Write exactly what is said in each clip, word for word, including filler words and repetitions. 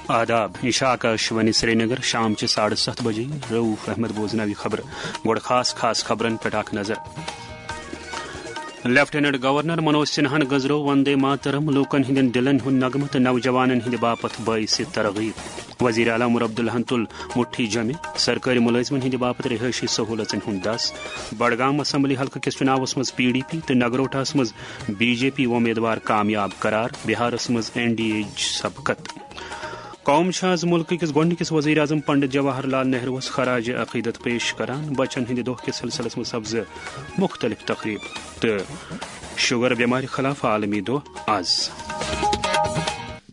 آداب، یہِ چھِ آکاشوانی سرینگر، شام چہِ ساڑٕ ستھ بجے۔ رؤف احمد بوزناوِ خبرٕ۔ گۄڈٕ خاص خاص خبرن پٮ۪ٹھ اکھ نظر۔ لیفٹیننٹ گورنر منوج سنہاہن گٔنزرٲو وندے ماترم، لوٗکن ہٕنٛدٮ۪ن دِلن ہُنٛد نغمہٕ تہٕ نوجوانن ہٕنٛدِ باپتھ باعث ترغیب۔ وزیر اعلیٰ عمر عبداللہن تُل مُٹھی جمہِ، سرکٲرۍ مُلٲزمن ہٕنٛدِ باپتھ رہٲیشی سہوٗلژن ہُنٛد دس۔ بڈگام اسمبلی حلقہٕ کِس چُناوس منٛز پی ڈی پی تہٕ نگروٹاہس منٛز بی جے پی وۄمیدوار کامیاب قرار، بہارس منٛز این ڈی اے ہٕچ سبقت۔ قوم چھِ آز مُلکہٕ کِس گۄڈٕنِکِس وزیر اعظم پنڈت جواہر لال نہروَس خراج عقیدت پیش کران۔ بچن ہٕنٛدِ دۄہ کِس سلسلس منٛز سپزٕ مُختٔلِف تقریٖب تہٕ شُگر بٮ۪مارِ خلاف عالمی دۄہ آز۔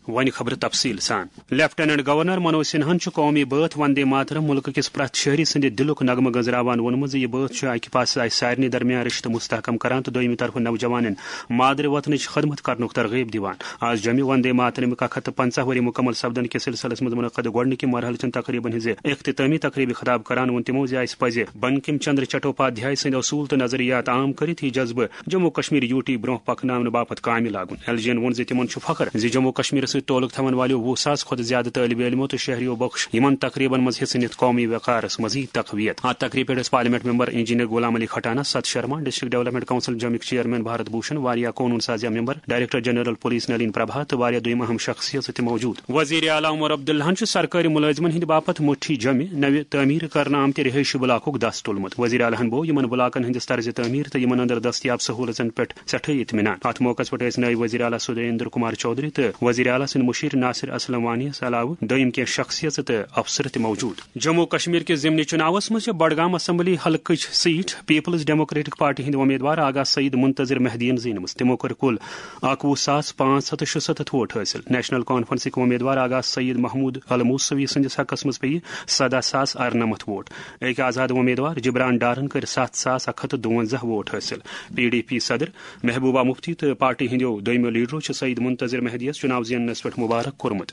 وۄنۍ خبرٕ تفصیٖل سان۔ لیفٹیننٹ گورنر منوج سنہاہن چھُ قومی بٲتھ وندے ماترم مُلکہٕ کِس پرٛٮ۪تھ شہری سٕنٛدِ دِلُک نغمہٕ گنٛزراوان ووٚنمُت زِ یہِ بٲتھ چھُ اکہِ پاسہٕ اسہِ سارنٕے درمیان رشتہٕ مستحکم کران تہٕ دوٚیمہِ طرفہٕ نوجوانن مادرِ وطنٕچ خدمت کرنُک ترغیب دِوان۔ آز جمہِ وندے ماترمُک اکھ ہتھ تہٕ پنٛژاہ ؤری مُکمل سپدن کِس سلسلس منٛز منعقد گۄڈٕنِکہِ مرحلہٕ چٮ۪ن تقریبن ہٕنٛزِ اختتٲمی تقریبہِ خطاب کران ووٚن تِمو زِ اسہِ پزِ بنکم چندر چٹوپادھیای سٕنٛدۍ اصوٗل تہٕ نظریات عام کٔرِتھ یہِ جذبہٕ جموں کشمیر یوٗ ٹی برونٛہہ پکناونہٕ باپتھ کامہِ لاگُن۔ ایل جی ین ووٚن زِ تِمن چھُ فخر زِ جموں کشمیرس سۭتۍ تعلق تھاون والیو وُہ ساس کھۄتہٕ زیادٕ طٲلبہِ علمو تہٕ شہریو بخش یِمن تقریبن منٛز حصہٕ نِتھ قومی وقارس مزید تقویت۔ اتھ تقریبہِ پٮ۪ٹھ ٲسۍ parliament member engineer Ghulam Ali Khatana, Sat Sharma, district development council جمک چیئرمین بھارت بھوشن، واریاہ قونوٗن سازیہ member, director general police Nalin Prabha تہٕ واریاہ دوٚیِم اہم شخصیژٕ تہِ موجود۔ وزیر اعلیٰ عمر عبداللہن چھُ سرکٲرۍ مُلٲزمن ہٕنٛدِ باپتھ مُٹھی جمہِ نوِ تعمیٖر کرنہٕ آمتہِ رہٲیشی بلاکُک دس تُلمُت۔ وزیر اعلیٰ ہن بوو یِمن بلاکن ہٕنٛدِس طرزِ تعمیٖر تہٕ یِمن اندر دستیاب سہوٗلژن پٮ۪ٹھ سٮ۪ٹھٕے اطمینان۔ اتھ موقعس پٮ۪ٹھ ٲسۍ نٲیِب وزیر اعلیٰ سدھیندر کمار چودھری تہٕ وزیر اعلیٰ سٕنٛدۍ مُشیر ناصر اسلم وانی یس علاوٕ دوٚیِم کینٛہہ شخصیژٕ تہٕ افسر تہِ موجود۔ جموں کشمیر کِس ضمنی چُناوس منٛز چھِ بڈگام اسمبلی حلقٕچ سیٹ پیپلز ڈیموکریٹک پارٹی ہٕنٛدۍ امیدوار آغا سعید منتظر مہدیَن زیٖنمٕژ۔ تِمو کٔرۍ کُل اکوُہ ساس پانٛژھ ہتھ تہٕ شُستتھ ووٹ حٲصِل۔ نیشنل کانفرنسٕکۍ امیدوار آغا سعید محمود الموسوی سٕنٛدِس حقس منٛز پیٚیہِ سداہ ساس ارنمتھ ووٹ۔ أکۍ آزاد امیدوار جبران ڈارن کٔرۍ ستھ ساس اکھ ہتھ تہٕ دُوَنزاہ ووٹ حٲصِل۔ پی ڈی پی صدر محبوبہ مفتی تہٕ پارٹی ہٕنٛدیو دوٚیمِیو لیڈرو چھُ سعید منتظر مہدیَس چُناو زیننس پٮ۪ٹھ مبارک کوٚرمُت۔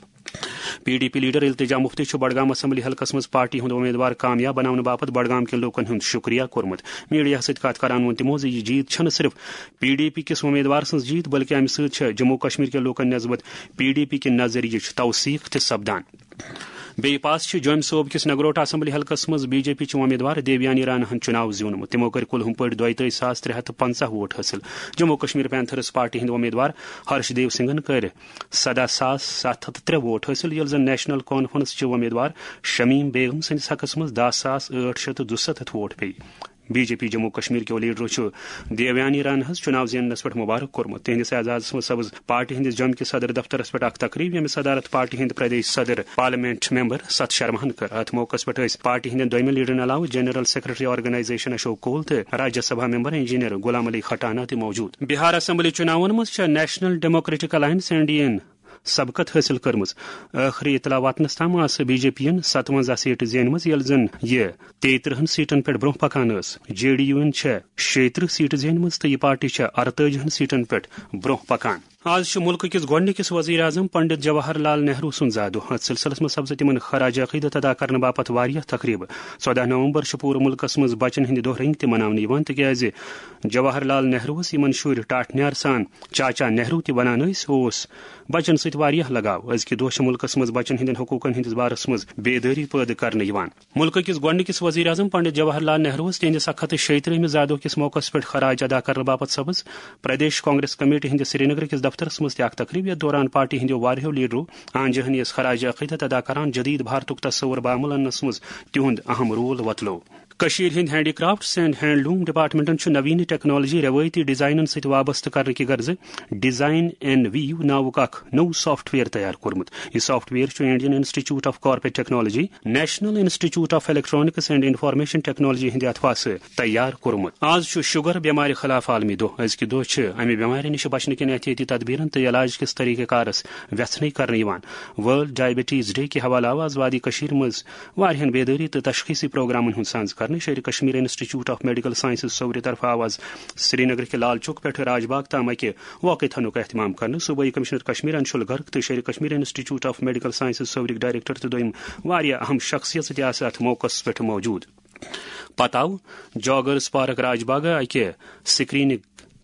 پی ڈی پی لیڈر التجا مفتی چھُ بڈگام اسمبلی حلقس منٛز پارٹی ہُنٛد امیدوار کامیاب بناونہٕ باپتھ بڈگام کٮ۪ن لوٗکن ہُنٛد شُکریہ کوٚرمُت۔ میڈیاہَس سۭتۍ کتھ کران ووٚن تِمو زِ یہِ جیٖت چھَنہٕ صرف پی ڈی پی کِس امیدوار سٕنٛز جیٖت، بلکہِ اَمہِ سۭتۍ چھےٚ جموں کشمیر کٮ۪ن لوٗکن نسبت پی ڈی پی کہِ نظریہٕچ توثیق تہِ سپدان۔ بیٚیہِ پاس چھِ جوٚمۍ صوبہٕ کِس نگروٹا اسمبلی حلقس منٛز بی جے پی چہِ امیدوار دیویانی راناہن چُناو زیوٗنمُت۔ تِمو کٔرۍ کُل ہُم پٲٹھۍ دۄیہِ تٲجۍ ساس ترٛےٚ ہتھ تہٕ پنٛژاہ ووٹ حٲصِل۔ جموں کشمیر پینتھرس پارٹی ہٕنٛدۍ امیدوار ہرش دیو سنگھن کٔرۍ سداہ ساس ستھ ہتھ تہٕ ترٛےٚ ووٹ حٲصِل، ییٚلہِ زن نیشنل کانفرنس چہِ امیدوار شمیم بیگم سٕنٛدِس حقس منٛز دَہ ساس ٲٹھ شتھ تہٕ دُسَتتھ ووٹ پیٚیہِ۔ B J P Jammu Kashmir کیو لیڈرو چھُ دیویانی راناہس چُناو زیننس پٮ۪ٹھ مبارک کوٚرمُت۔ تِہنٛدِس اعزازس منٛز سپٕز پارٹی ہٕنٛدِس جوٚمہِ کِس صدر دفترس پٮ۪ٹھ اکھ تقریب، ییٚمہِ صدارت پارٹی ہٕنٛدۍ پردیش صدر پارلیمنٹ ممبر ست شرماہن کٔر۔ اتھ موقعس پٮ۪ٹھ ٲسۍ پارٹی ہٕنٛدٮ۪ن دوٚیمٮ۪ن لیڈرن علاوٕ general secretary organisation Ashok Koul تہٕ راجیہ سبھا ممبر انجینئر غلام علی کھٹانہ تہِ موجود۔ بہار اسمبلی چُناون منٛز چھےٚ national democratic alliance, N D A, یَن سبقت حٲصِل کٔرمٕژ۔ ٲخری اطلاع واتنس تام آسہٕ بی جے پی یَن ستونزہ سیٹہٕ زینمٕژ، ییٚلہِ زن یہِ تیٚیہِ ترٕہن سیٹن پٮ۪ٹھ برونٛہہ پکان ٲس۔ جے ڈی یو یَن چھےٚ شیٚیہِ ترٕہ سیٹہٕ زینمٕژ تہٕ یہِ پارٹی چھےٚ ارتٲجی ہن سیٹن پٮ۪ٹھ برونٛہہ پکان۔ آز چھُ مُلکہٕ کِس گۄڈٕنِکِس وزیر اعظم پنڈت جواہر لال نہروٗ سُنٛد زاہ دۄہ۔ اتھ سلسلس منٛز سپزٕ تِمن خراج عقیدت ادا کرنہٕ باپتھ واریاہ تقریبہٕ۔ ژۄدہ نومبر چھُ پوٗرٕ مُلکس منٛز بچن ہٕنٛدِ دۄہ رٔنگۍ تہِ مناونہٕ یِوان، تِکیازِ جواہر لال نہروٗ یِمن شُرۍ ٹاٹھۍ نیار سان چاچا نہروٗ تہِ ونان ٲسۍ، اوس بچن سۭتۍ واریاہ لگاو۔ أزکہِ دۄہ چھِ مُلکس منٛز بچن ہٕنٛدٮ۪ن حقوٗقن ہٕنٛدِس بارس منٛز بیدٲری پٲدٕ کرنہٕ یِوان۔ مُلکہٕ کِس گۄڈٕنِکِس وزیر اعظم پنڈت جواہر لال نہروٗ تِہنٛدِس اکھ ہتھ تہٕ شیٚیہِ ترٕہمہِ زادٕ دۄہ کِس موقعس پٮ۪ٹھ خراج ادا کرنہٕ باپتھ سپٕز پردیش کانگریس کمیٹی ہٕنٛدِس سرینگرٕ کِس دفترس منٛز تہِ اکھ تقریب، یتھ دوران پارٹی ہٕنٛدیو واریاہو لیڈرو آن جہانی یس خراج عقیدت ادا کران جدید بھارتُک تصور بعمل اننس منٛز تِہُنٛد اہم رول وۄتلوو۔ کٔشیٖرِ ہٕنٛدۍ ہینڈی کرافٹس اینڈ ہینڈلوم ڈپارٹمنٹن چھُ نویٖن ٹیکنالوجی رٮ۪وٲیتی ڈیزائنن سۭتۍ وابستہٕ کرنہٕ کہِ غرضہٕ ڈیزائن این ویو ناوُک اکھ نوٚو سافٹ ویئر تیار کوٚرمُت۔ یہِ سافٹ ویئر چھُ Indian institute of corporate technology, national institute of electronics and information technology ہٕنٛدِ اتھواسہٕ تیار کوٚرمُت۔ آز چھُ شُگر بٮ۪مارِ خلاف عالمی دۄہ۔ أزکہِ دۄہ چھِ امہِ بٮ۪مارِ نِش بچنہٕ کٮ۪ن احتیاطی تدبیرن تہٕ علاج کِس طریقہٕ کارس ویژھنٕے کرنہٕ یِوان۔ ورلڈ ڈائبٹیز ڈے کہِ حوالہٕ آو آز وادی کٔشیٖرِ منٛز واریاہن بیدٲری تہٕ تشخیصی پروگرامن ہُنٛد سانز کرنہٕ۔ Sher e Kashmir institute of medical sciences صوورِ طرفہٕ آو آز سرینگر کہِ لال چوک پٮ۪ٹھٕ راج باغ تام اکہِ واک اے تھنُک اہتمام کرنہٕ۔ صوبٲئی کمشنر کشمیر انشول گرگ تہٕ Sher e Kashmir institute of medical sciences صوورٕکۍ ڈائریکٹر تہٕ دوٚیم واریاہ اہم شخصیژٕ تہِ آسہٕ اتھ موقعس پٮ۪ٹھ موجود۔ پتہٕ آو جاگرز پارک راج باغ اکہِ سکریننگ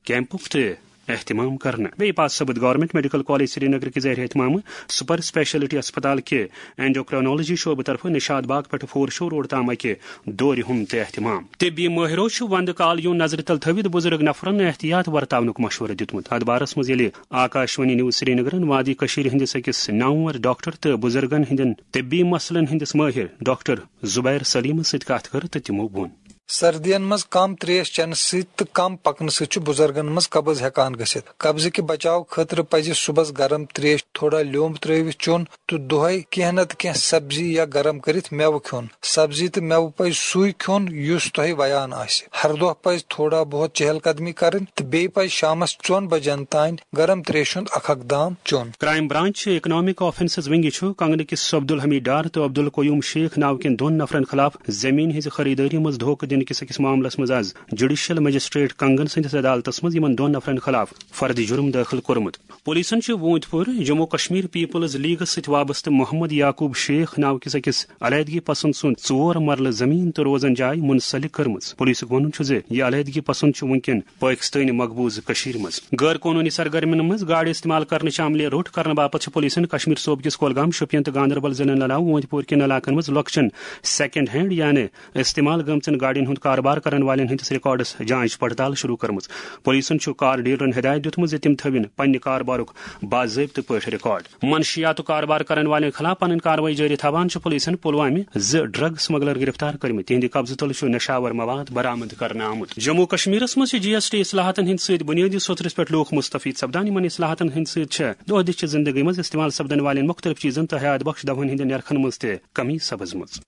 کیمپُک تہِ اہتمام کرنہٕ۔ بیٚیہِ پتہٕ سپُد گورنمنٹ میڈیکل کالج سرینگر کہِ زیر اہتمام سپر اسپیشلٹی اسپتال کہِ اینڈوکرینولوجی شعبہٕ طرفہٕ نشاد باغ پٮ۪ٹھ فور شو روڈ تام اکہِ دورِ ہُنٛد تہِ اہتمام۔ طبی مٲہرو چھُ وندٕ کال یُن نظرِ تل تھٲوِتھ بُزرگ نفرن احتیاط ورتاونُک مشورٕ دیُتمُت۔ اتھ بارس منٛز ییٚلہِ آکاشوانی نیوز سرینگرن وادی کٔشیٖرِ ہٕنٛدِس أکِس نامور ڈاکٹر تہٕ بُزرگن ہٕنٛدٮ۪ن طبی مسلن ہٕنٛدِس مٲہر ڈاکٹر زبیر سلیمس سۭتۍ کتھ کٔر تہٕ تِمو ووٚن۔ سردین منٛز کم تریش چنہٕ سۭتۍ تہٕ کم پکنہٕ سۭتۍ چھُ بُزرگن منٛز قبض ہیٚکان گٔژھِتھ۔ قبضہٕ کہِ بچاو خٲطرٕ پزِ صُبحس گرم تریش تھوڑا لیوٚمب ترٲوِتھ چیوٚن تہٕ دۄہے کینٛہہ نتہٕ کینٛہہ سبزی یا گرم کٔرِتھ مٮ۪وٕ کھیوٚن۔ سبزی تہٕ مٮ۪وٕ پزِ سُے کھیوٚن یُس تۄہہِ ویان آسہِ۔ ہر دۄہ پزِ تھوڑا بہت چہل قدمی کرٕنۍ تہٕ بیٚیہِ پزِ شامس ژۄن بجن تام گرم تریشہِ ہُنٛد اکھ اکھ دام چیوٚن۔ کرائم برانچ اکنامک آفنسز ونگہِ چھُ کنگنہٕ کِس عبدالحمید ڈار تہٕ عبدالقیوم شیخ ناو کٮ۪ن دۄن نفرن خلاف زٔمیٖن ہٕنٛزِ خریدٲری منٛز دھوکہٕ دِنہٕ کِس أکِس معاملس منٛز از جوڈیشل مجسٹریٹ کنگن سٕنٛدِس عدالتس منٛز یِمن دۄن نفرن خلاف فرد جرم دٲخل کوٚرمُت۔ پولیسن چھُ ووٗنتۍ پوٗرٕ جموں کشمیر پیپلز لیگس سۭتۍ وابستہٕ محمد یعقوب شیخ ناو کِس أکِس علیحدگی پسند سُنٛد ژور مرلہٕ زٔمیٖن تہٕ روزن جاے منسلک کٔرمٕژ۔ پولیسُک وَنُن چھُ زِ یہِ علیحدگی پسند چھُ وُنکٮ۪ن پٲکِستٲنۍ مقبوضہٕ کٔشیٖرِ منٛز۔ غٲر قونوٗنی سرگرمین منٛز گاڑِ استعمال کرنٕچ عملہِ روٚٹ کرنہٕ باپتھ چھِ پولیسن کشمیر صوبہٕ کِس کۄلگام، شوپین تہٕ گاندربل ضلعن علاوٕ وٲنٛتہِ پورِ کٮ۪ن علاقن منٛز لۄکچٮ۪ن سیکنڈ ہینڈ یعنی استعمال گٔمژن گاڑین ہُنٛد کاربار کرن والٮ۪ن ہٕنٛدِس ریکارڈس جانچ پڑتال شروع کٔرمٕژ۔ پولیسن چھُ کار ڈیلرن ہدایت دیُتمُت زِ تِم تھٲوِن پننہِ کاربارُک باضٲبطہٕ پٲٹھۍ ریکارڈ۔ منشیاتُک کاربار کرن والٮ۪ن خلاف پنٕنۍ کاروٲیی جٲری تھاوان چھُ پولیسن پلوامہِ زٕ ڈرگ سمگلر گرفتار کٔرمٕتۍ۔ تِہنٛدِ قبضہٕ تل چھُ نشاور مواد برآمد کرنہٕ آمُت۔ جموں کشمیرس منٛز چھِ جی ایس ٹی اصلاحاتن ہٕنٛدۍ سۭتۍ بنیٲدی سوٚترس پٮ۪ٹھ لوٗکھ مستفید سپدان۔ یِمن اصلاحاتن ہٕنٛدۍ سۭتۍ چھِ دۄہ دِش چہِ زندگی منٛز استعمال سپدن والٮ۪ن مختلف چیزن تہٕ حیات بخش دوہن ہٕنٛدٮ۪ن نرخن منٛز تہِ کمی سپٕزمٕژ۔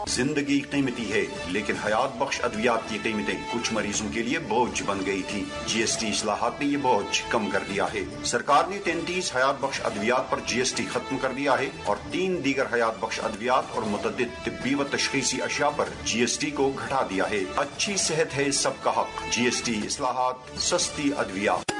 زندگی قیمتی ہے، لیکن حیات بخش ادویات کی قیمتیں کچھ مریضوں کے لیے بوجھ بن گئی تھی۔ جی ایس ٹی اصلاحات نے یہ بوجھ کم کر دیا ہے۔ سرکار نے تینتیس حیات بخش ادویات پر جی ایس ٹی ختم کر دیا ہے اور تین دیگر حیات بخش ادویات اور متعدد طبی و تشخیصی اشیاء پر جی ایس ٹی کو گھٹا دیا ہے۔ اچھی صحت ہے سب کا حق، جی ایس ٹی اصلاحات، سستی ادویات۔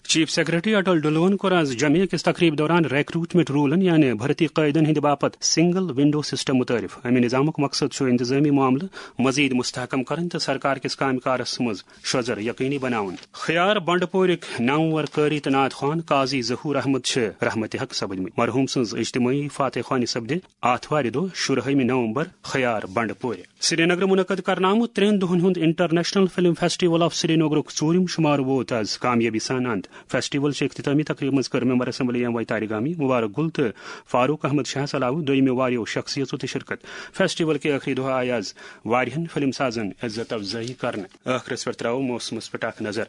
چیف سیکرٹری اٹل ڈلون کوٚر از جمعہ کِس تقریب دوران ریکروٹمنٹ رولن یعنی بھرتی قٲیدن ہٕنٛدِ باپتھ سنگل ونڈو سسٹم متعارف۔ امہِ نظامُک مقصد چھُ انتظامی معاملہٕ مزید مستحکم کرٕنۍ تہٕ سرکار کِس کامہِ کارس منٛز شوٚژر یقینی بناوُن۔ خیار بنڈپورٕکۍ نامور قٲری تہٕ نعت خوان قاضی ظہور احمد چھِ رحمت حق سپدمٕتۍ۔ مرحوم سٕنٛز اجتماعی فاتح خوانی سپدِ آتھوارِ دۄہ شُرہٲیمہِ نومبر خیار بنڈپورِ۔ سرینگرٕ منعقد کرنہٕ آمُت ترٛٮ۪ن دۄہن ہُنٛد انٹرنیشنل فلم فیسٹیول آف سرینگرُک ژوٗرِم شُمارٕ ووت از کامیٲبی سان اند۔ فیسٹیول چہِ اختتامی تقریبہِ منٛز کٔر ممبر اسمبلی ایم واے طارق گامی، مبارک گل تہٕ فاروق احمد شاہس علاوٕ دوٚیمہِ واریاہو شخصیژو تہِ شرکت۔ فیسٹیول کہِ ٲخری دۄہ آیہِ از واریاہن فلم سازن عزت افزٲیی کرنہٕ۔ ٲخرس پٮ۪ٹھ ترٛاوو موسمس پٮ۪ٹھ اکھ نظر۔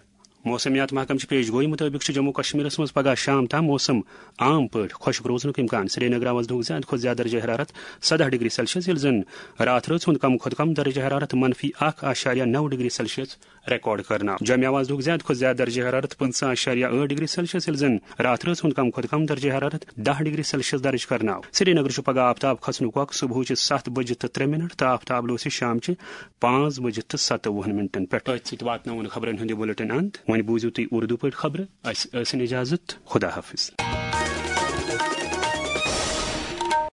موسمیات محکمہٕ چہِ پیش گویی مُطٲبِق چھُ جموں کشمیرس منٛز پگہہ شام تام موسم عام پٲٹھۍ خۄشک روزنُک امکان۔ سرینگرٕ آواز دُہُک زیادٕ کھۄتہٕ زیادٕ درجہ حرارت سداہ ڈگری سیلسیس، ییٚلہِ زن راتھ رٲژ ہُنٛد کم کھۄتہٕ کم درجہ حرارت منفی اکھ اعشاریہ نو ڈگری سیلسیس ریکارڈ کرنہٕ آو۔ جوٚمہِ آواز دُہُک زیادٕ کھۄتہٕ زیادٕ درجہ حرارت پٕنٛژٕہ اعشاریہ ٲٹھ ڈگری سیلسیس، ییٚلہِ زن راتھ رٲژ ہُنٛد کم کھۄتہٕ کم درجہ حرارت دَہ ڈگری سیلسیس درج کرنہٕ آو۔ سرینگر چھُ پگہہ آفتاب کھسنُک وقت صبحٕچہِ ستھ بجہِ تہٕ ترٛےٚ منٹ تہٕ آفتاب لوسہِ شامچہِ پانٛژھ بجہِ تہٕ ستوُہن منٹن پٮ۪ٹھ۔ أتھۍ سۭتۍ واتناوون خبرن ہُنٛد یہِ بُلٹن اند۔ وۄنۍ بوٗزِو تُہۍ اردو پٲٹھۍ خبرٕ۔ اسہِ ٲسِن اجازت۔ خدا حافظ۔